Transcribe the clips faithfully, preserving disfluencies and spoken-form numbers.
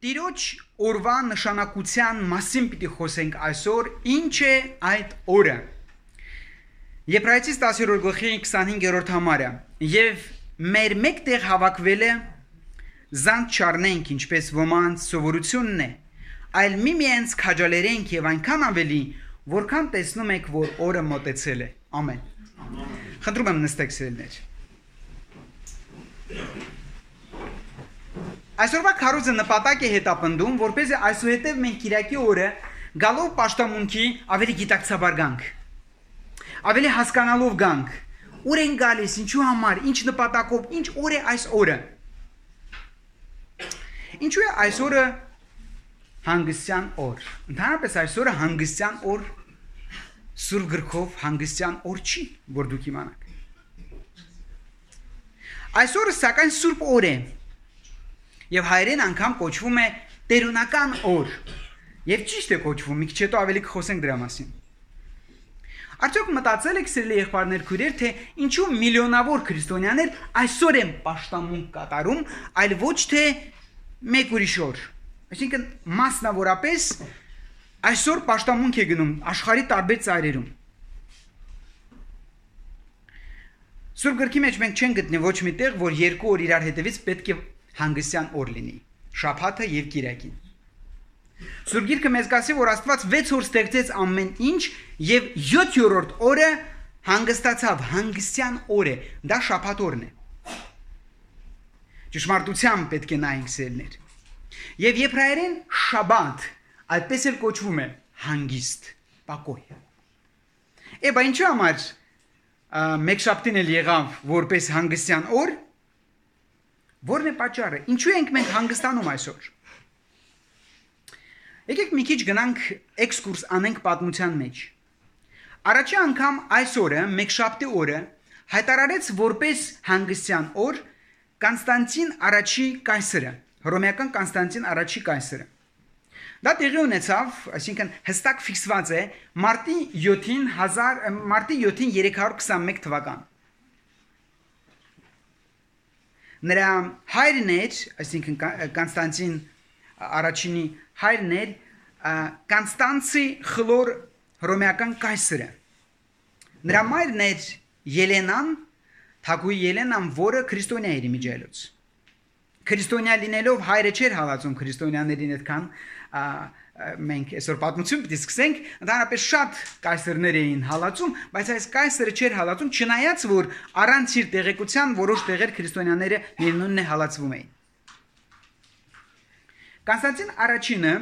Տիրոջ օրվա նշանակության մասին պիտի խոսենք այսօր, ինչ է այդ օրը։ Եբրայեցիս տասներորդ գլխի քսանհինգերորդ համարը, եւ մեր մեկտեղ հավաքվել է զանց չառնենք, ինչպես ոմանց սովորությունն է, այլ միմյանց քաջալերենք եւ այնքան ավելի, որքան տեսնում եք, որ օրը մոտեցել է։ Ամեն։ Խնդրում եմ նստեք սիրելիներ։ Այսօրվա քարոզը նպատակ է հետապնդում, որպեսզի այսուհետև մենք Կիրակի օրը գալով պաշտամունքի ավելի գիտակցաբար գանք, ավելի հասկանալով գանք, ուր են գալիս, ինչու համար, ինչ նպատակով, ինչ օր է այս օրը։ Ինչու է այս օրը հանգստյան օր։ Ընդհանրապես այս օրը հանգստյան օր Սուրբ գրքով հանգստյան օր չի, որ դուք իմանաք։ Այս օրը սակայն Սուրբ օր է։ Եվ հայերեն անգամ կոչվում է տերունական օր։ Եվ ճիշտ է կոչվում, մի քիչ հետո ավելի կխոսենք դրա մասին։ Արդյոք մտածել եք սիրելի եղբայրներ, քույրեր, թե ինչու միլիոնավոր քրիստոնյաներ այսօր են պաշտամունք կատարում, այլ ոչ թե մեկ ուրիշ օր։ Այսինքն մասնավորապես այսօր պաշտամունք է գնում աշխարհի տարբեր ծայրերում։ Սուրբ գրքի մեջ մենք չենք գտնի ոչ մի տեղ, որ երկու օր իրար հետևից պետք է հանգստյան օր լինի, շաբաթը եւ կիրակին։ Սուրբ գիրքը մեզ կասի, որ Աստված վեց օր ստեղծեց ամեն ինչ եւ յոթերորդ օրը հանգստացավ, հանգստյան օր է, դա շաբաթ օրն է։ Ճշմարտությամբ պետք է նայենք սերներ։ Եվ եբրայերեն շաբաթ այդպես էլ կոչվում է հանգիստ, պակոյ։ Էբա ինչու համար մեկշաբթին էլ եղավ որպես հանգստյան օր։ Որն է պատճառը։ Ինչու ենք մենք հանգստանում այսօր։ Եկեք մի քիչ գնանք էքսկուրս անենք պատմության մեջ։ Առաջի անգամ այս օրը, մեկշաբթի օրը, հայտարարեց որպես հանգստյան օր Կոնստանտին առաջի կայսրը, հռոմեական Կոնստանտին առաջի կայսրը։ Դա տեղի ունեցավ, այսինքն հստակ ֆիքսված է մարտի յոթին մարտի յոթին երեք հարյուր քսանմեկ թվական։ Նրա հայրն էր, այսինքն Կոնստանտին առաջինի հայրն էր Կոնստանցի խլոր հռոմեական կայսրը։ Նրա մայրն էր Ելենան, թագուհի Ելենան, որը քրիստոնյա էր իմիջիայլոց։ Քրիստոնյա լինելով հայրը չէր հալածում քրիստոնյաներին այդքան մենք այսօր պատմություն պիտի սկսենք, ընդհանրապես շատ կայսրներ էին հալածում, բայց այս կայսրը չէր հալածում, չնայած որ առանց իր տեղեկության որոշ տեղեր քրիստոնյաները միևնույնն է հալածվում էին։ Կոնստանտին առաջինը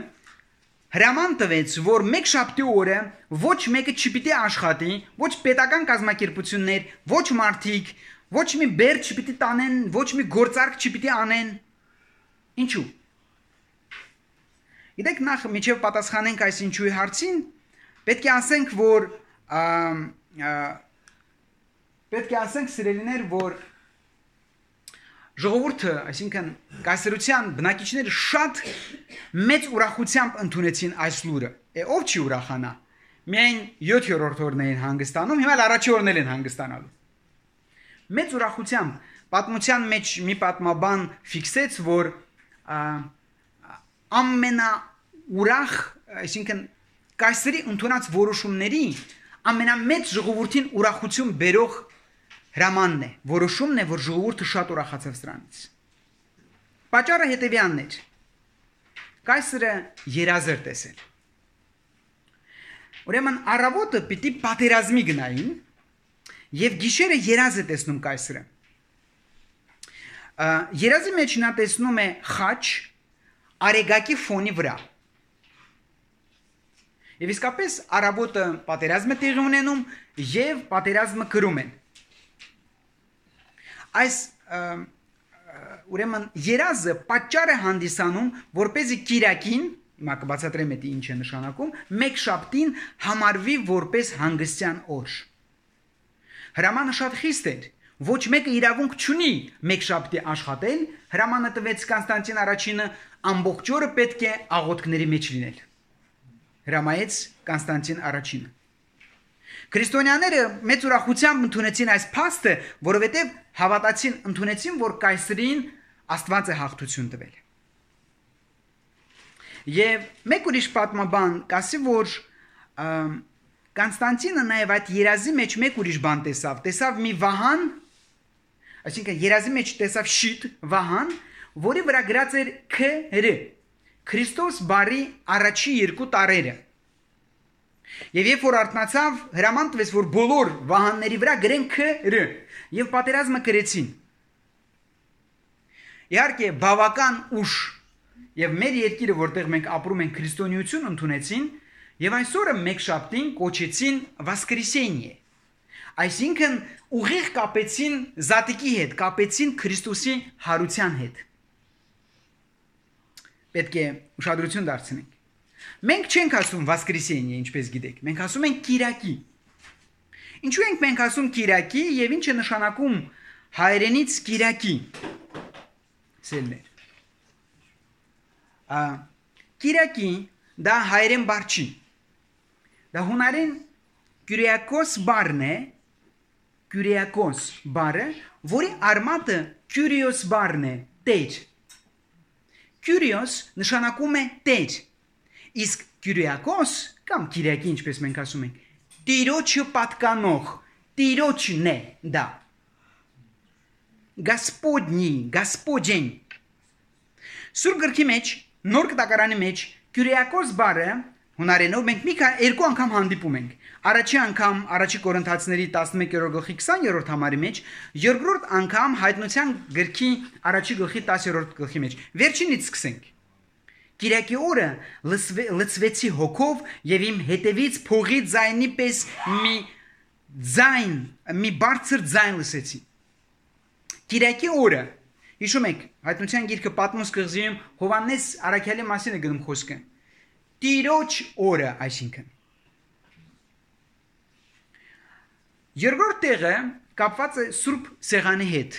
հրաման տվեց, որ մեկ շաբթի օրը ոչ մեկը չպիտի աշխատի, ոչ պետական կազմակերպություններ, ոչ մարդիկ, ոչ մի բեր չպիտի տանեն, ոչ մի գործարք չպիտի անեն։ Ինչու՞։ Գիտեք, նախ միջև պատասխանենք այս ինչուի հարցին, պետք է ասենք, որ պետք է ասենք սիրելիներ, որ ժողովուրդը, այսինքն կայսրության բնակիչները շատ մեծ ուրախությամբ ընդունեցին այս լուրը։ Է ով չի ուրախանա։ Միայն յոթերորդ օրն էին հանգստանում, հիմա առաջի օրն են հանգստանալու։ Մեծ ուրախությամբ պատմության մեջ մի պատմաբան ֆիքսեց, որ ամենաուրախ, այսինքն կայսրի ընդունած որոշումների ամենամեծ ժողովրդին ուրախություն բերող հրամանն է, որոշումն է, որ ժողովուրդը շատ ուրախացավ սրանից։ Պատճառը հետևյալն էր։ Կայսրը երազ էր տեսել։ Ուրեմն առավոտը պիտի պատերազմի գնային եւ գիշերը երազ է տեսնում կայսրը։ Երազի մեջ նա տեսնում է խաչ արեգակի ֆոնի վրա։ Եվ իսկապես առավոտը պատերազմը տեղի ունենում եւ պատերազմը կրում են։ Այս ուրեմն երազը պատճառ է հանդիսանում, որպեսզի կիրակին, հիմա կբացատրեմ դա ինչ է նշանակում, մեկ շաբթին համարվի որպես հանգստյան օր։ Հրամանը շատ խիստ էր։ Ոչ մեկը իրավունք չունի մեկ շաբթի աշխատել, հրամանը տվեց Կոնստանտին առաջինը ամբողջ օրը պետք է աղոթքների մեջ լինել։ Հրամայեց Կոնստանտին առաջինը։ Քրիստոնյաները մեծ ուրախությամբ ընդունեցին այս փաստը, որովհետև հավատացին, ընդունեցին, որ կայսրին Աստված է հաղթություն տվել։ Եվ մեկ ուրիշ պատմաբան կասի, որ Կոնստանտինը նաև այդ երազի մեջ մեկ ուրիշ բան տեսավ, տեսավ մի վահան, այսինքն երազի մեջ տեսավ շիտ վահան, որի վրա գրած էր Ք.Ր. Քրիստոս բարի առաջի երկու տարերը։ Եվ երբ որ արթնացավ, հրաման տվեց, որ բոլոր վահանների վրա գրեն Ք.Ր. Եվ պատերազմը կրեցին։ Իհարկե, բավական ուշ եւ մեր երկիրը, որտեղ մենք ապրում ենք, քրիստոնեություն ընդունեցին, եւ այսօրը մեկ շաբթին կոչեցին Воскресение։ Այսինքն ուղիղ կապեցին զատիկի հետ, կապեցին Քրիստոսի հարության հետ։ Պետք է ուշադրություն դարձնենք։ Մենք չենք ասում Воскресение, ինչպես գիտեք, մենք ասում ենք Կիրակի։ Ինչու ենք մենք ասում Կիրակի եւ ինչ է նշանակում հայերենից Կիրակի։ Սելներ։ Ա Կիրակի դա հայերեն բառ չի։ Դա հունարեն Kyriakos բառն է, Kyriakos բառը, որի արմատը Kyrios բառն է, տեր։ Kyrios նշանակում է տեր։ Իսկ Kyriakos կամ Կիրակի, ինչպես մենք ասում ենք, Տիրոջը պատկանող, Տիրոջն է դա։ Господний, Господин։ Սուրբ գրքի մեջ, նոր կտակարանի մեջ Kyriakos բառը հունարենով մենք մի երկու անգամ հանդիպում ենք։ Առաջի անգամ առաջի Կորինթացիների տասնմեկերորդ գլխի քսաներորդ համարի մեջ, երկրորդ անգամ հայտնության գրքի առաջի գլխի տասերորդ գլխի մեջ։ Վերջինից սկսենք։ Կիրակի օրը լցվեցի հոգով եւ իմ հետևից փողի ձայնի պես մի ձայն, մի բարձր ձայն լսեցի։ Կիրակի օրը, հիշում եք, հայտնության գիրքը Պատմոս կղզիում Հովաննես Արաքյալի մասին է գնում խոսքը։ Տիրոջ օրը, այսինքն։ Երկրորդ տեղը կապված է Սուրբ Սեղանի հետ։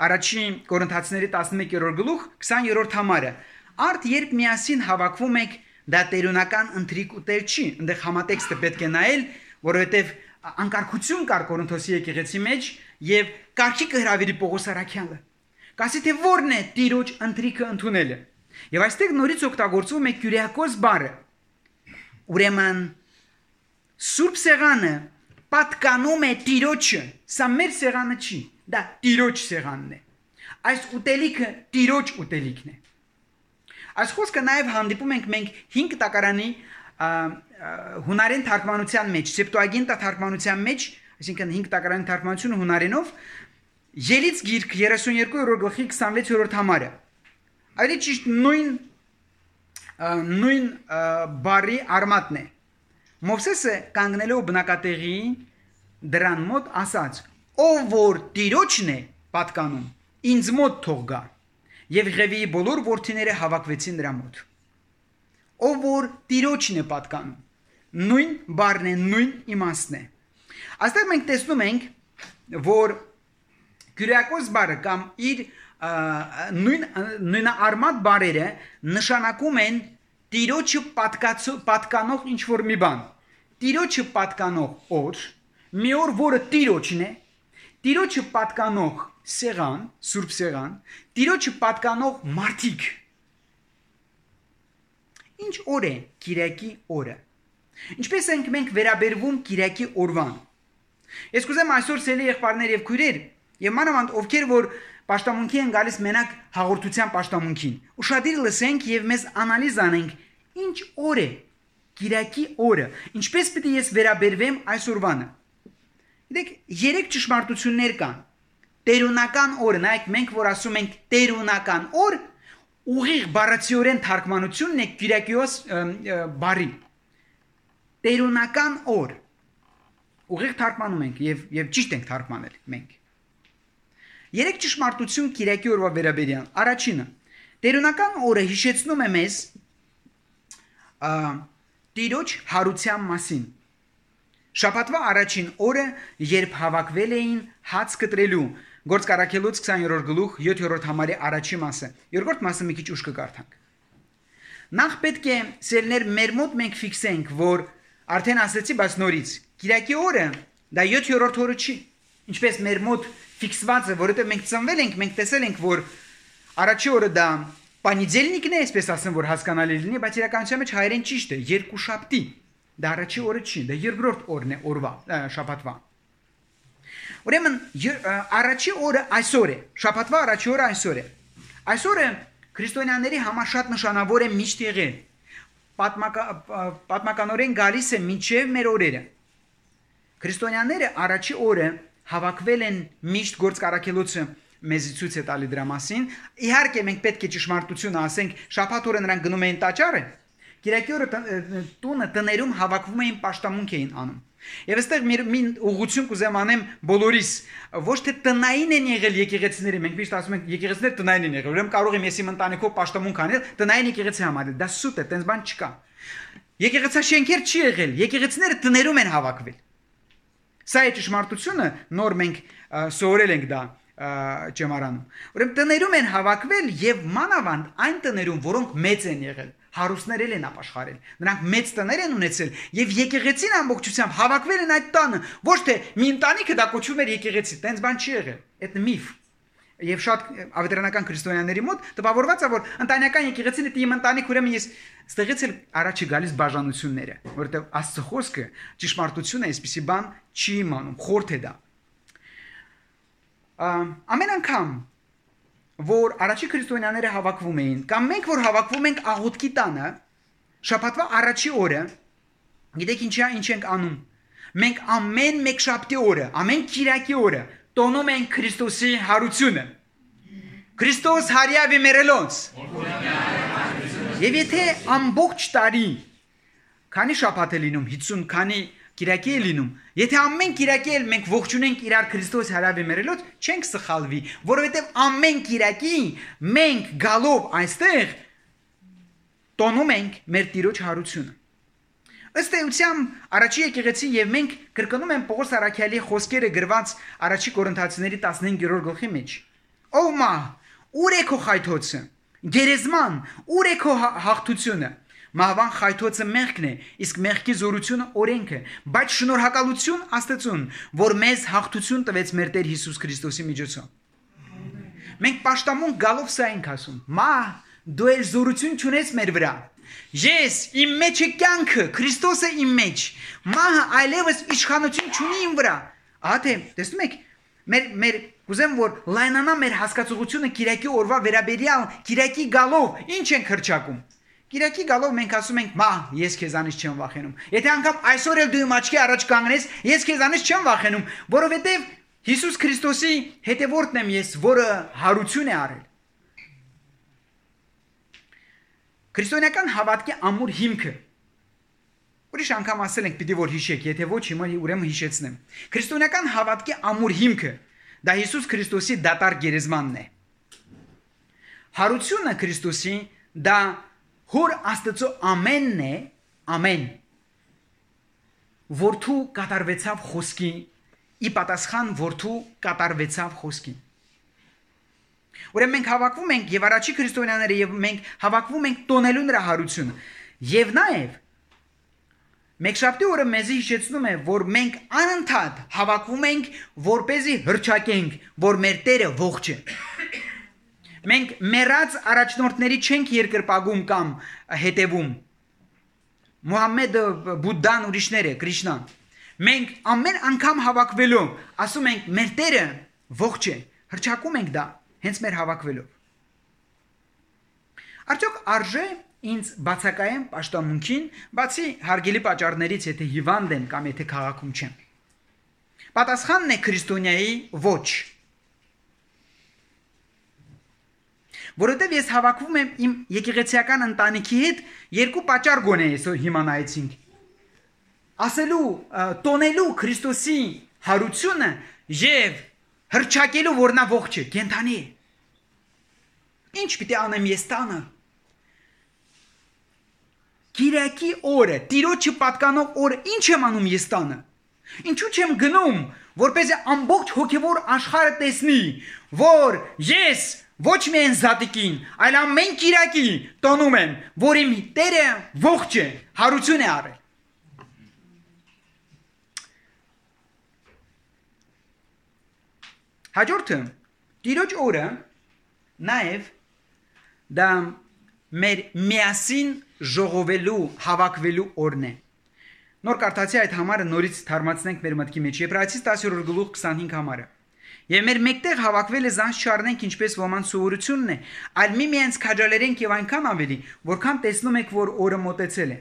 Առաջի Կորինթացիների տասնմեկերորդ գլուխ քսաներորդ համարը։ Արդ երբ միասին հավաքվում եք, դա տերունական ընթրիկ ուտել չի, այնտեղ համատեքստը պետք է նայել, որովհետև անկարգություն կար Կորինթոսի եկեղեցի մեջ եւ կարգի կհրավիրի Պողոս Արաքյալը։ Կասի թե որն է Տիրոջ ընթրիկը ընդունելը։ Եվ այստեղ նորից օգտագործվում է Kyriakos բառը։ Ուրեմն Սուրբ Սեղանը պատկանում է Տիրոջը, սա մեր սեղանը չի, դա Տիրոջ սեղանն է։ Այս ուտելիքը Տիրոջ ուտելիքն է։ Այս խոսքը նաև հանդիպում ենք մենք հինգ տակարանի հունարեն թարգմանության մեջ, Սեպտուագինտա թարգմանության մեջ, այսինքն հինգ տակարանի թարգմանությունը հունարենով, Ելից գիրք երեսունյոթերորդ գլխի քսանվեցերորդ համարը։ Այլ ճիշտ նույն նույն բարի արմատն է։ Մովսեսը կանգնելով բնակատեղի դրան մոտ ասաց. «Ով որ Տիրոջն է պատկանում, ինձ մոտ թող գա»։ Եվ Ղևիի բոլոր որդիները հավաքվեցին նրա մոտ։ Ով որ Տիրոջն է պատկանում, նույն բառն է, նույն իմաստն է։ Այստեղ մենք տեսնում ենք, որ Kyriakos բառը կամ իր նույն նույնարմատ բառերը նշանակում են Տիրոջը պատկանող ինչ որ մի բան։ Տիրոջը պատկանող օր, մի օր, որը Տիրոջն է, Տիրոջը պատկանող սեղան, Սուրբ Սեղան, Տիրոջը պատկանող մարդիկ։ Ինչ օր է Կիրակի օրը։ Ինչպես ենք մենք վերաբերվում Կիրակի օրվան։ Ես կուզեմ այսօր սելի եղբայրներ եւ քույրեր, եւ մանավանդ ովքեր որ պաշտամունքի են գալիս մենակ հաղորդության պաշտամունքին, ուշադիր լսենք եւ մեզ անալիզ անենք, ինչ օր է Կիրակի օրը, ինչպես պիտի ես վերաբերվեմ այս օրվանը։ Գիտեք, երեք ճշմարտություններ կան։ Տերունական օրը, նայեք, մենք որ ասում ենք տերունական օր, ուղիղ բառացիորեն թարգմանությունն է Kyriakos բառի։ Տերունական օր։ Ուղիղ թարգմանում ենք եւ եւ ճիշտ ենք թարգմանել մենք։ Երեք ճշմարտություն Կիրակի օրվա վերաբերյալ։ Առաջինը, տերունական օրը հիշեցնում է մեզ Տիրոջ հարության մասին։ Շաբաթվա առաջին օրը, երբ հավաքվել էին հաց կտրելու, Գործք առաքելոց քսաներորդ գլուխ յոթերորդ համարի առաջի մասը։ Երկրորդ մասը մի քիչ ուշ կկարդանք։ Նախ պետք է սերներ մեր մոտ մենք ֆիքսենք, որ արդեն ասացի, բայց նորից Կիրակի օրը դա յոթերորդ օրը չի։ Ինչպես մեր մոտ ֆիքսված է, որովհետև մենք ծնվել ենք, մենք տեսել ենք, որ առաջի օրը դա Պանիդելնիկն է, այսպես ասեմ, որ հասկանալի լինի, բայց իրականության մեջ հայերեն ճիշտ է, երկուշաբթի։ Դա առաջի օրը չի, դա երկրորդ օրն է օրվա, շաբաթվա։ Ուրեմն առաջի օրը այսօր է, շաբաթվա առաջի օրը այսօր է։ Այսօրը քրիստոնյաների համար շատ նշանավոր է միշտ եղել։ Պատմականորեն գալիս է մինչև մեր օրերը։ Քրիստոնյաները առաջի օրը հավաքվել են միշտ գործկարակելոցը մեզ ցույց է տալի դրա մասին։ Իհարկե մենք պետք է ճշմարտությունը ասենք, շաբաթ օրը նրանք գնում էին տաճարը, կիրակի օրը տունը տներում հավաքվում էին պաշտամունք էին անում։ Եվ այստեղ մի ուղղություն կուզեմ անեմ բոլորիս, ոչ թե տնային են եղել եկեղեցիները, մենք միշտ ասում ենք եկեղեցիները տնային են եղել, ուրեմն կարող եմ ես իմ ընտանիքով պաշտամունք անել, տնային եկեղեցի համարել, դա սուտ է, տենց բան չկա։ Եկեղեցաշենքեր չի եղել, եկեղեցիները տներում են հավաքվել։ Սա է ճշմարտությունը, նոր մենք սովորել ենք դա ճեմարանում։ Ուրեմն տներում են հավաքվել եւ մանավանդ այն տներում, որոնք մեծ են եղել, հարուստներ են ապաշխարել։ Նրանք մեծ տներ են ունեցել եւ եկեղեցին ամբողջությամբ հավաքվել են այդ տանը, ոչ թե մի ընտանիքը դա կոչվում էր եկեղեցի, տենց բան չի եղել։ Այդ միֆ։ Եվ շատ ավետարանական քրիստոնյաների մոտ տպավորված է, որ ընտանեկան եկեղեցին է իմ ընտանիք, ուրեմն ես ստեղից էլ առաջի գալիս բաժանությունները, որովհետեւ Աստծո խոսքը ճշմարտությունը այսպիսի բան չի իմանում, խորթ է դա։ Ամեն անգամ, որ առաջի քրիստոնյաները հավաքվում էին, կամ մենք որ հավաքվում ենք աղոթքի տանը, շաբաթվա առաջի օրը, գիտեք ինչա ինչ ենք անում։ Մենք ամեն մեկշաբթի օրը, ամեն կիրակի օրը տոնում ենք Քրիստոսի հարությունը։ Քրիստոս հարյավի մերելոնց։ Եվ եթե ամբողջ տարի, քանի շաբաթ է լինում, հիսուն քանի կիրակի է լինում, եթե ամեն կիրակի էլ մենք ողջունենք իրար Քրիստոս հարյավի մերելոց, չենք սխալվի, որովհետև ամեն կիրակի մենք գալով այստեղ տոնում ենք մեր Տիրոջ հարությունը։ Ըստ էության առաջի եկեղեցի եւ մենք կրկնում ենք Պողոս Արաքյալի խոսքերը գրված առաջի Կորինթացիների տասնհինգերորդ գլխի մեջ։ Ով մա, ուր է քո խայթոցը։ Գերեզման, ուր է քո հաղթությունը։ Մահվան խայթոցը մեղքն է, իսկ մեղքի զորությունը օրենքը, բայց շնորհակալություն Աստծուն, որ մեզ հաղթություն տվեց մեր Տեր Հիսուս Քրիստոսի միջոցով։ Մենք պաշտամունք գալով սա ենք ասում. «Մա, դու էլ զորություն չունես մեր վրա։ Ես իմ մեջ է կյանքը, Քրիստոսը իմ մեջ։ Մահը այլևս իշխանություն չունի իմ վրա»։ Ահա թե, տեսնում եք, մեր մեր կուզեմ որ լայնանա մեր հասկացողությունը Կիրակի օրվա վերաբերյալ Կիրակի գալով ինչ ենք հրճակում։ Կիրակի գալով մենք ասում ենք՝ «Մա, ես քեզանից չեմ վախենում»։ Եթե անգամ այսօր էլ դու իմ աչքի առաջ կանգնես, ես քեզանից չեմ վախենում, որովհետև Հիսուս Քրիստոսի հետևորդն եմ ես, որը հարություն է արել։ Քրիստոնեական հավատքի ամուր հիմքը։ Ուրիշ անգամ ասել ենք պիտի որ հիշեք, եթե ոչ հիմա ուրեմն հիշեցնեմ։ Քրիստոնեական հավատքի ամուր հիմքը դա Հիսուս Քրիստոսի դատար գերեզմանն է։ Հարությունը Քրիստոսի դա Հոր Աստծո ամենն է, ամեն։ Որդու կատարվեցավ խոսքի, ի պատասխան որդու կատարվեցավ խոսքի։ Ուրեմն մենք հավաքվում ենք եւ առաջի քրիստոնյաները եւ մենք հավաքվում ենք տոնելու նրա հարությունը։ Եվ նաեւ Մեկշաբթի օրը մեզի հիշեցնում է, որ մենք անընդհատ հավաքվում ենք, որպեսզի հրճակենք, որ մեր Տերը ողջ է։ Մենք մեռած առաջնորդների չենք երկրպագում կամ հետևում։ Մուհամմեդը, Բուդդան, ուրիշները, Կրիշնան։ Մենք ամեն անգամ հավաքվելով ասում ենք մեր Տերը ողջ է, հրճակում ենք դա հենց մեր հավաքվելով։ Արդյոք արժե ինձ բացակայեմ պաշտամունքին, բացի հարգելի պատճառներից, եթե հիվանդ եմ կամ եթե քաղաքում չեմ։ Պատասխանն է քրիստոնյայի ոչ։ Որովհետև ես հավաքվում եմ իմ եկեղեցիական ընտանիքի հետ երկու պատճառ գոնե այսօր հիմա նայեցինք։ Ասելու, տոնելու Քրիստոսի հարությունը եւ հրճակելու, որ նա ողջ է, կենթանի է։ Ինչ պիտի անեմ ես տանը։ Կիրակի օրը, Տիրոջը պատկանող օրը ինչ եմ անում ես տանը։ Ինչու չեմ գնում, որպեսզի ամբողջ հոգևոր աշխարհը տեսնի, որ ես ոչ միայն զատիկին, այլ ամեն Կիրակի տոնում եմ, որ իմ Տերը ողջ է, հարություն է արել։ Հաջորդը, Տիրոջ օրը նաև դա մեր միասին ժողովելու, հավաքվելու օրն է։ Նոր կարդացի այդ համարը նորից թարմացնենք մեր մտքի մեջ։ Եբրայեցիս տասներորդ գլուխ քսանհինգ համարը։ Եվ մեր մեկտեղ հավաքվելը զանց չառնենք ինչպես ոմանց սովորությունն է, այլ միմյանց քաջալերենք եւ այնքան ավելի, որքան տեսնում եք, որ օրը մոտեցել է։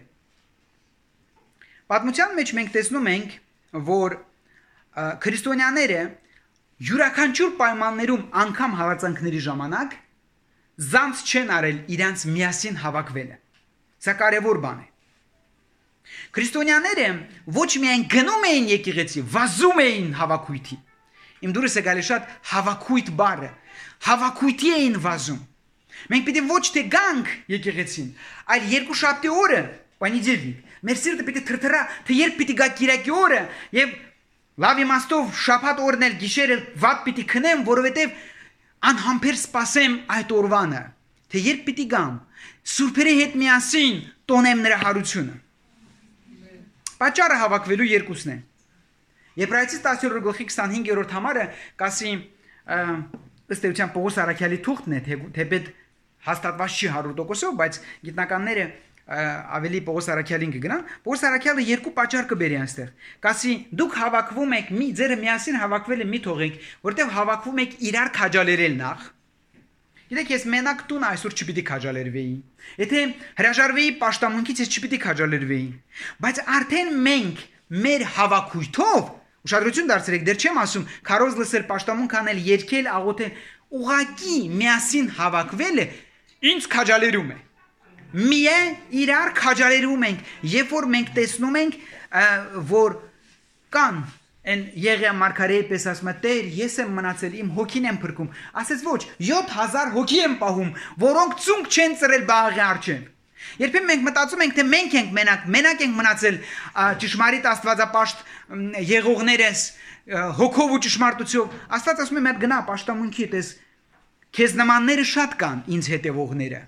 Պատմության մեջ մենք տեսնում ենք, որ քրիստոնյաները յուրաքանչյուր պայմաններում անգամ հալածանքների ժամանակ զանց չեն արել իրանց միասին հավաքվելը։ Սա կարևոր բան է։ Քրիստոնյաները ոչ միայն գնում էին եկեղեցի, վազում էին հավաքույթի։ Իմ դուրս է գալիս շատ հավաքույթ բառը, հավաքույթի էին վազում։ Մենք պիտի ոչ թե գանք եկեղեցին, այլ երկու շաբթի օրը, պանիդելնիկ, մեր սիրտը պիտի թրթրա, թե երբ պիտի գա կիրակի օրը, եւ լավ իմաստով շաբաթ օրն էլ գիշերը վատ պիտի քնեմ, որովհետեւ անհամբեր սպասեմ այդ օրվանը, թե երբ պիտի գամ, սուրբերի հետ միասին տոնեմ նրա հարությունը։ Պատճառը հավաքվելու երկուսն է։ Եբրայեցիս տասներորդ գլխի քսանհինգերորդ համարը կասի ըստ էության Պողոս Արաքյալի թուղթն է, թեպետ հաստատված չի հարյուր տոկոսով, բայց գիտնականները ավելի Պողոս Արաքյալին կգնան։ Պողոս Արաքյալը երկու պատճառ կբերի այստեղ։ Կասի դուք հավաքվում եք, մի ձերը միասին հավաքվելը մի թողեք, որտեղ հավաքվում եք իրար քաջալերել նախ։ Գիտեք, ես մենակ տուն այսօր չպիտի քաջալերվեի։ Եթե հրաժարվեի պաշտամունքից, ես չպիտի քաջալերվեի։ Բայց արդեն մենք մեր հավաքույթով ուշադրություն դարձրեք, դեռ չեմ ասում, քարոզ լսել, պաշտամունք անել, երգել, աղոթել, ուղակի միասին հավաքվելը ինձ քաջալերում է։ Միայն իրար քաջալերում ենք, երբ որ մենք տեսնում ենք, որ կան Են Եղիա մարգարեի պես ասում է, Տեր, ես եմ մնացել, իմ հոգին եմ փրկում։ Ասեց ոչ, յոթ հազար հոգի եմ պահում, որոնք ծունկ չեն ծրել Բաղի առջև։ Երբեմն մենք մտածում ենք, թե մենք ենք մենակ, մենակ ենք մնացել ճշմարիտ աստվածապաշտ եղողներս, հոգով ու ճշմարտությամբ։ Աստված ասում է, «Մեր գնա պաշտամունքի, տես, քեզ նմանները շատ կան, ինձ հետևողները»։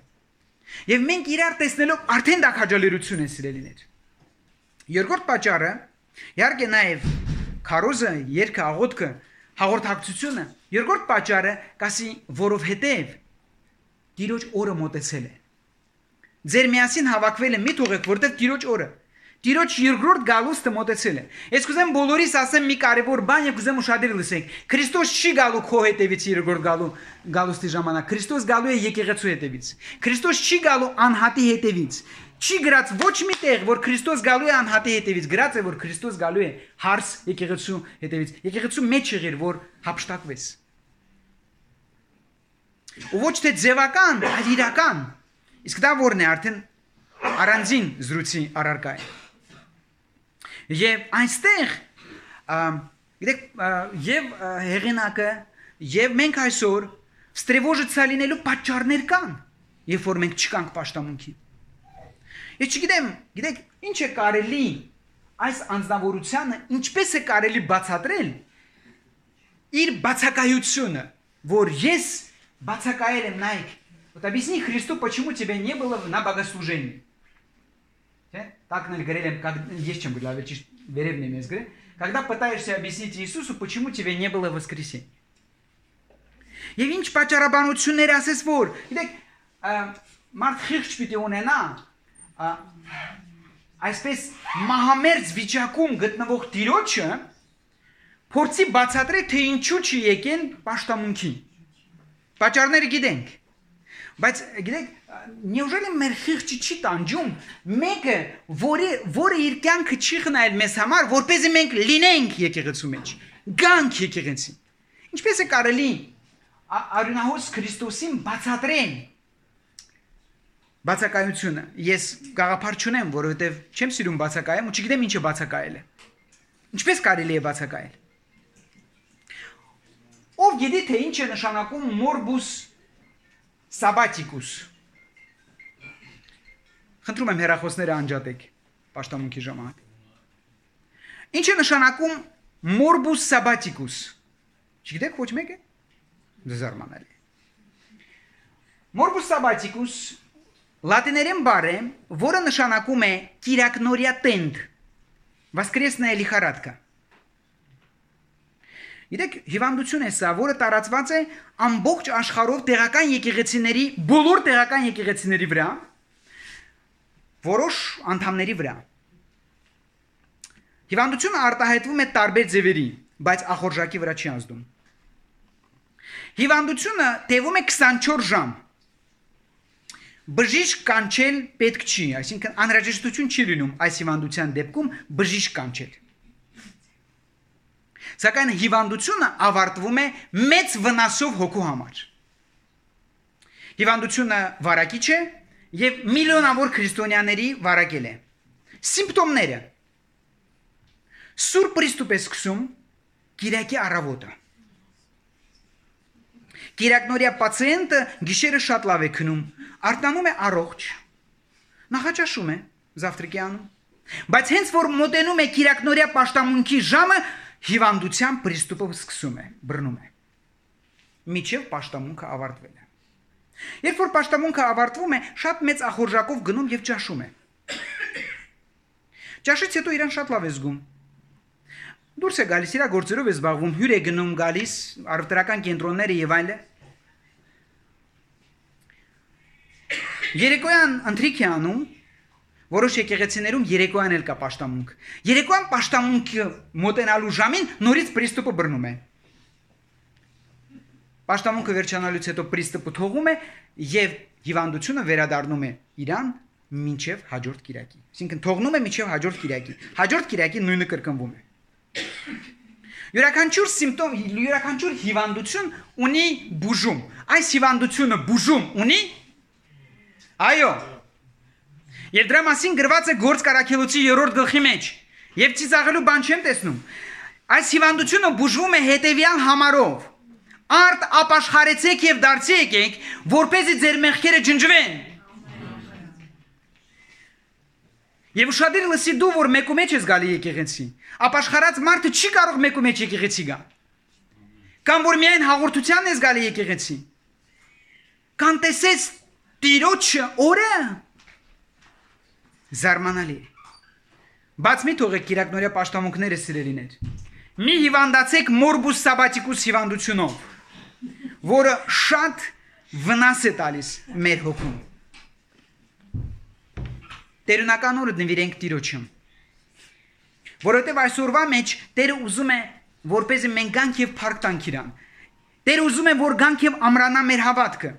Եվ մենք իրար տեսնելով արդեն դա քաջալերություն է, սիրելիներ։ Երկրորդ պատճառը, իհարկե նաև քարոզը, երգը, աղոթքը, հաղորդակցությունը, երկրորդ պատճառը կասի, որովհետև Տիրոջ օրը մոտեցել է։ Ձեր միասին հավաքվելը մի թողեք, որտեղ Տիրոջ օրը, Տիրոջ երկրորդ գալուստը մոտեցել է։ Ես կուզեմ բոլորիս ասեմ մի կարևոր բան եւ կուզեմ ուշադիր լսեք։ Քրիստոս չի գալու քո հետևից երկրորդ գալու գալուստի ժամանակ։ Քրիստոս գալու է եկեղեցու հետևից։ Քրիստոս չի գալու անհատի հետևից։ Չի գրած ոչ մի տեղ, որ Քրիստոս գալու է անհատի հետևից, գրած է, որ Քրիստոս գալու է հարս եկեղեցու հետևից։ Եկեղեցու մեջ եղիր, որ հափշտակվես։ Ու ոչ թե ձևական, այլ իրական։ Իսկ դա որն է արդեն առանձին զրույցի առարկա է։ Եվ այնստեղ, գիտեք, եւ հեղինակը, եւ մենք այսօր ստրևոժը լինելու պատճառներ կան, երբ որ մենք չկանք պաշտամունքի։ Ես չգիտեմ, գիտեք, ինչ է կարելի այս անձնավորությունը, ինչպես է կարելի բացատրել իր բացակայությունը, որ ես բացակայել եմ, նայեք, вот объясни Христу, почему тебя не было на богослужении. Так говорили, как есть чем было, веревный мест, когда пытаешься объяснить Иисусу, почему тебя не было в воскресенье. Եվ ինչ պատճառաբանություններ ասես որ, գիտեք, մարդ խիղճ պիտի ունենա, այսպես մահամերձ վիճակում գտնվող Տիրոջը փորձի բացատրել, թե ինչու չի եկեն պաշտամունքի։ Պատճառները գիտենք։ Բայց գիտեք, неужели մեր խիղճը չի տանջում մեկը, որը որը իր կյանքը չի խնայել մեզ համար, որպեսզի մենք լինենք եկեղեցու մեջ, գանք եկեղեցին։ Ինչպես է կարելի արյունահոս Քրիստոսին բացատրեն բացակայությունը։ Ես գաղափար չունեմ, որովհետև չեմ սիրում բացակայեմ ու չգիտեմ ինչ է բացակայելը։ Ինչպես կարելի է բացակայել։ Ով գիտի թե ինչ է նշանակում morbus sabbaticus։ Խնդրում եմ հեռախոսները անջատեք պաշտամունքի ժամանակ։ Ինչ է նշանակում morbus sabbaticus։ Չգիտեք ոչ մեկը։ Զարմանալի։ Morbus sabbaticus լատիներեն բառ է, որը նշանակում է կիրակնորյա տենդ, воскресная лихорадка։ Գիտեք, հիվանդություն է սա, որը տարածված է ամբողջ աշխարհով տեղական եկեղեցիների, բոլոր տեղական եկեղեցիների վրա, որոշ անդամների վրա։ Հիվանդությունը արտահայտվում է տարբեր ձևերի, բայց ախորժակի վրա չի ազդում։ Հիվանդությունը տևում է քսանչորս ժամ։ Բժիշկ կանչել պետք չի, այսինքն անհրաժեշտություն չի լինում այս հիվանդության դեպքում բժիշկ կանչել։ Սակայն հիվանդությունը ավարտվում է մեծ վնասով հոգու համար։ Հիվանդությունը վարակիչ է եւ միլիոնավոր քրիստոնյաների վարակել է։ Սիմպտոմները. Սուրբ պրիստուպ է սկսում Կիրակի առավոտը։ Կիրակնորյա պացիենտը գիշերը շատ լավ է քնում, արտանում է առողջ, նախաճաշում է զավտրիկյանում, բայց հենց որ մոտենում է կիրակնորյա պաշտամունքի ժամը, հիվանդության պրիստուպը սկսում է, բռնում է։ Միջև պաշտամունքը ավարտվել է։ Երբ որ պաշտամունքը ավարտվում է, շատ մեծ ախորժակով գնում եւ ճաշում է։ Ճաշից հետո իրան շատ լավ է զգում։ Դուրս է գալիս, իր գործերով է զբաղվում, հյուր է գնում գալիս, առևտրական կենտրոնները եւ այլը։ Երեկոյան ընթրիք է անում, որոշ եկեղեցիներում երեկոյան էլ կա պաշտամունք։ Երեկոյան պաշտամունքը մոտենալու ժամին նորից պրիստուպը բռնում է։ Պաշտամունքը վերջանալուց հետո պրիստուպը թողում է եւ հիվանդությունը վերադառնում է իրան մինչեւ հաջորդ կիրակի։ Այսինքն թողնում է մինչեւ հաջորդ կիրակի։ Հաջորդ կիրակի նույնը կրկնվում է։ Յուրաքանչյուր սիմպտոմ, յուրաքանչյուր հիվանդություն ունի բուժում։ Այս հիվանդությունը բուժում ունի։ Այո։ Եվ դրա մասին գրված է Գործ Կարաքելոցի երրորդ գլխի մեջ։ Եվ ծիծաղելու բան չեմ տեսնում։ Այս հիվանդությունը բուժվում է հետևյալ համարով. Արդ ապաշխարեցեք եւ դարձի եկեք, որպեսզի ձեր մեղքերը ջնջվեն։ Եվ ուշադիր լսի դու, որ մեկու մեջ ես գալի եկեղեցի։ Ապաշխարած մարդը չի կարող մեկու մեջ եկեղեցի գա։ Կամ որ միայն հաղորդության ես գալի եկեղեցի։ Կան տեսես Տիրոջը օրը զարմանալի։ Բաց մի թողեք կիրակնորյա պաշտամունքները սիրելիներ։ Մի հիվանդացեք մորբուս սաբատիկուս հիվանդությունով, որը շատ վնաս է տալիս մեր հոգուն։ Տերունական օրը նվիրենք Տիրոջը։ Որովհետև այսօրվա մեջ Տերը ուզում է, որպեսզի մենք գանք եւ փառք տանք իրան։ Տերը ուզում է, որ գանք եւ ամրանա մեր հավատքը։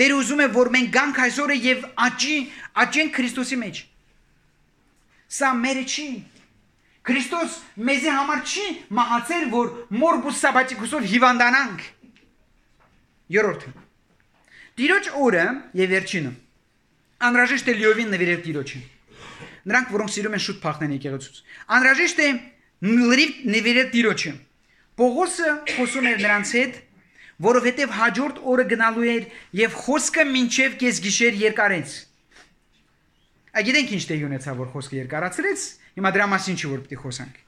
Տերը ուզում է, որ մենք գանք այսօրը եւ աճի, աճենք Քրիստոսի մեջ։ Սա մերը չի։ Քրիստոս մեզի համար չի մահացել, որ մորբուս սաբատիկուսով հիվանդանանք։ Երրորդը։ Տիրոջ օրը եւ վերջինը։ Անհրաժեշտ է լիովին նվիրել Տիրոջը։ Նրանք, որոնք սիրում են շուտ փախնեն եկեղեցուց։ Անհրաժեշտ է լրիվ նվիրել Տիրոջը։ Պողոսը խոսում էր նրանց հետ, որովհետև հաջորդ օրը գնալու էր եւ խոսքը մինչեւ կեսգիշեր երկարեց։ Այգիտենք ինչ տեղի ունեցավ, որ խոսքը երկարացրեց, հիմա դրա մասին չի որ պիտի խոսանք։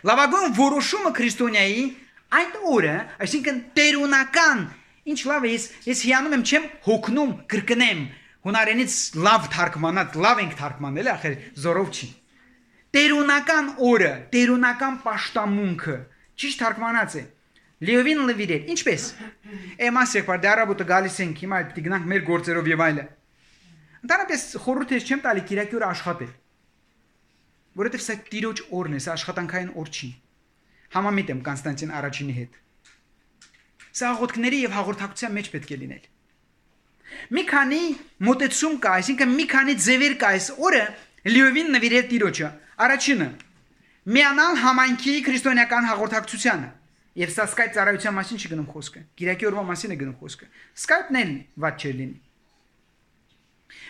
Լավագույն որոշումը քրիստոնյայի այդ օրը, այսինքն տերունական, ինչ լավ է, ես, ես հիանում եմ, չեմ հոգնում, կրկնեմ, հունարենից լավ թարգմանած, լավ ենք թարգմանել, ախր զորով չի։ Տերունական օրը, տերունական պաշտամունքը, ճիշտ թարգմանած է։ Լիովին լվիրել, ինչպես։ Էմաս եղբայր, դե առավոտը գալիս ենք, հիմա պիտի գնանք մեր գործերով եւ այլը։ Ընդհանրապես խորհուրդ ես չեմ տալի Կիրակի օրը աշխատել։ Որովհետև սա Տիրոջ օրն է, սա աշխատանքային օր չի։ Համամիտ եմ Կոնստանտին առաջինի հետ։ Սա աղոթքների եւ հաղորդակցության մեջ պետք է լինել։ Մի քանի մոտեցում կա, այսինքն մի քանի ձևեր կա այս օրը լիովին նվիրել Տիրոջը։ Առաջինը՝ միանալ համայնքի քրիստոնեական հաղորդակցությանը։ Եվ սա Skype ծառայության մասին չի գնում խոսքը։ Կիրակի օրվա մասին է գնում խոսքը։ Skype-ն էլ ված չէ լինի։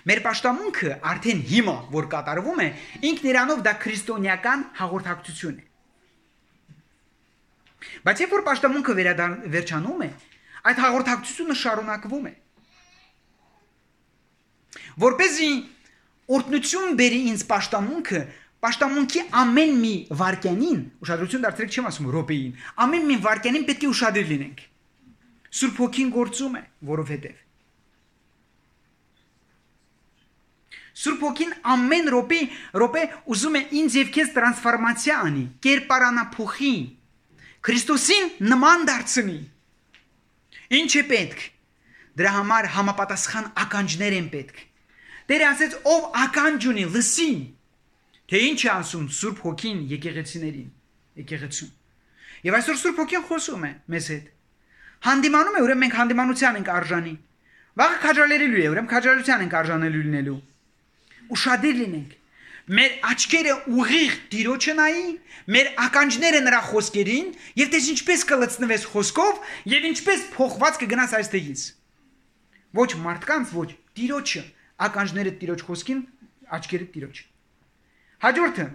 Մեր պաշտամունքը արդեն հիմա, որ կատարվում է, ինքն իրանով դա քրիստոնեական հաղորդակցություն է։ Բայց երբ որ պաշտամունքը վերջանում է, այդ հաղորդակցությունը շարունակվում է։ Որպեսզի օրհնություն բերի ինձ պաշտամունքը, պաշտամունքի ամեն մի վարքյանին, ուշադրություն դարձրեք չեմ ասում րոպեին, ամեն մի վարքյանին պետք է ուշադիր լինենք։ Սուրբ Հոգին գործում է, որովհետև Սուրբ Հոգին ամեն րոպե րոպե ուզում է ինձ եւ քեզ տրանսֆորմացիա անի, կերպարանափոխի, Քրիստոսին նման դարձնի։ Ինչ է պետք։ Դրա համար համապատասխան ականջներ են պետք։ Տերը ասեց, ով ականջ ունի, լսի, թե ինչ է ասում Սուրբ Հոգին եկեղեցիներին, եկեղեցուն։ Եվ այսօր Սուրբ Հոգին խոսում է մեզ հետ։ Հանդիմանում է, ուրեմն մենք հանդիմանության ենք արժանի։ Վաղը քաջալերելու է, ուրեմն քաջալերության ենք արժանելու լինելու։ Ուշադիր լինենք։ Մեր աչքերը ուղիղ Տիրոջը նայի, մեր ականջները նրա խոսքերին, եւ դες ինչպես կլցնվես խոսքով եւ ինչպես փոխված կգնաս այստեղից։ Ոչ մարդկանց, ոչ Տիրոջը, ականջները Տիրոջ խոսքին, աչքերը Տիրոջ։ Հաջորդը,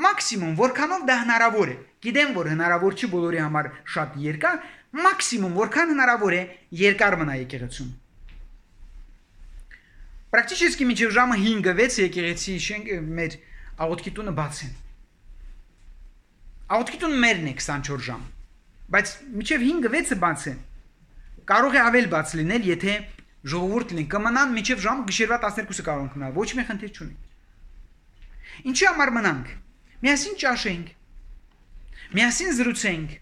մաքսիմում որքանով դա հնարավոր է։ Գիտեմ, որ հնարավոր չի բոլորի համար շատ երկար, մաքսիմում որքան հնարավոր է երկար մնա եկեղեցում։ Պրակտիկisesti մինչև ժամը հինգը վեցը եկեղեցի շենք մեր աղոթքի տունը բաց են։ Աղոթքի տունը մերն է քսանչորս ժամ, բայց մինչև հինգը վեցը բաց են։ Կարող է ավել բաց լինել, եթե ժողովուրդ լինի, կմնան մինչև ժամ գիշերվա տասներկուսը կարող են մնալ, ոչ մի խնդիր չունի։ Ինչի համար մնանք։ Միասին ճաշենք։ Միասին զրուցենք։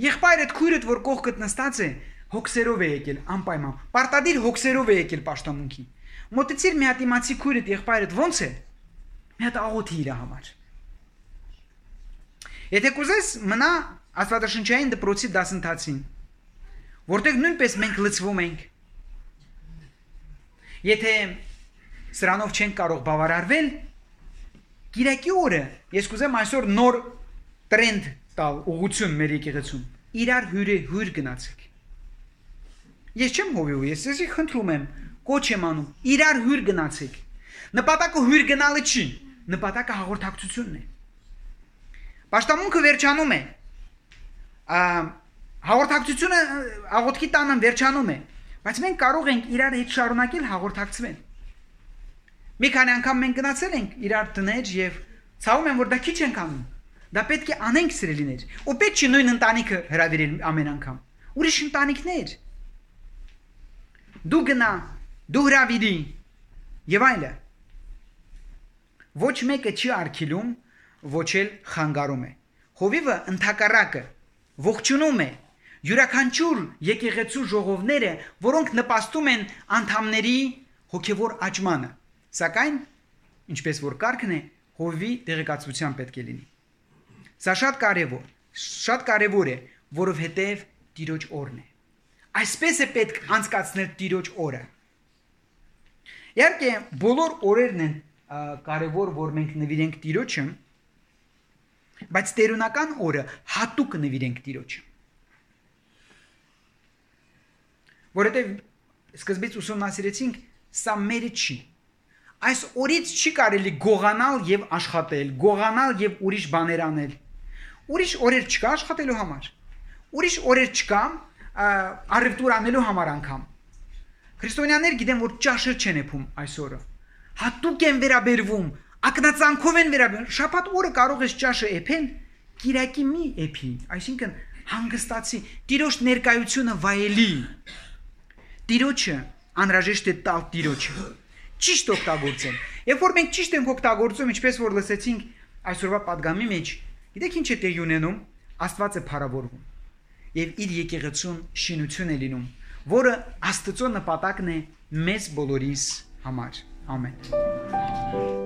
Եղբայրդ քույրդ, որ կողքդ նստած է, հոգսերով է եկել, անպայման։ Պարտադիր հոգսերով է եկել պաշտամունքի։ Մոտեցիր մի հատ իմացի քույրդ, եղբայրդ ո՞նց է։ Մի հատ աղոթի իր համար։ Եթե կուզես մնա աստվածաշնչային դպրոցի դասընթացին, որտեղ նույնպես մենք լցվում ենք։ Եթե սրանով չենք կարող բավարարվել, Կիրակի օրը ես կուզեմ այսօր նոր տրենդ տալ ուղղություն մեր եկեղեցում։ Իրար հյուրը հյուր գնացեք։ Ես չեմ հովիու, ես էսի խնդրում եմ, կոչ եմ անում, իրար հյուր գնացեք։ Նպատակը հյուր գնալը չի, նպատակը հաղորդակցությունն է։ Պաշտամունքը վերջանում է։ Հաղորդակցությունը աղոթքի տանը վերջանում է, բայց մենք կարող ենք իրար հետ շարունակել հաղորդակցվել։ Մի քանի անգամ մենք գնացել ենք իրար տներ եւ ցավում եմ, որ դա քիչ ենք անում։ Դա պետք է անենք սիրելիներ։ Ու պետք չի նույն ընտանիքը հրավիրել ամեն անգամ։ Ուրիշ ընտանիքներ։ Դու գնա, դու հրավիրի եւ այլը։ Ոչ մեկը չի արգելում, ոչ էլ խանգարում է։ Հովիվը ընդհակառակը ողջունում է յուրաքանչյուր եկեղեցու ժողովները, որոնք նպաստում են անդամների հոգեվոր աճմանը։ Սակայն, ինչպես որ կարգն է, հովի տեղեկացության պետք է լինի։ Սա շատ կարևոր, շատ կարևոր է, որովհետև Տիրոջ օրն է։ Այսպես է պետք անցկացնել Տիրոջ օրը։ Իհարկե, բոլոր օրերն են կարևոր, որ մենք նվիրենք Տիրոջը, բայց տերունական օրը հատուկ նվիրենք Տիրոջը։ Որովհետև սկզբից ուսումնասիրեցինք, սա մերը չի։ Այս օրից չի կարելի գողանալ եւ աշխատել, գողանալ եւ ուրիշ բաներ անել։ Ուրիշ օրեր չկա աշխատելու համար։ Ուրիշ օրեր չկա առևտուր անելու համար անգամ։ Քրիստոնյաներ գիտեն, որ ճաշը չեն եփում այս օրը։ Հատուկ են վերաբերվում, ակնածանքով են վերաբերվում։ Շաբաթ օրը կարող ես ճաշը եփել, Կիրակի մի եփի, այսինքն հանգստացի, Տիրոջ ներկայությունը վայելի։ Տիրոջը անհրաժեշտ է տալ Տիրոջը։ Ճիշտ օգտագործել։ Երբ որ մենք ճիշտ ենք օգտագործում, ինչպես որ լսեցինք այսօրվա падգամի մեջ, գիտեք ինչ է տեղի ունենում, Աստված է փառավորվում եւ իր եկեղեցուն շինություն է լինում, որը Աստծո նպատակն է մեզ բոլորիս համար։ Ամեն։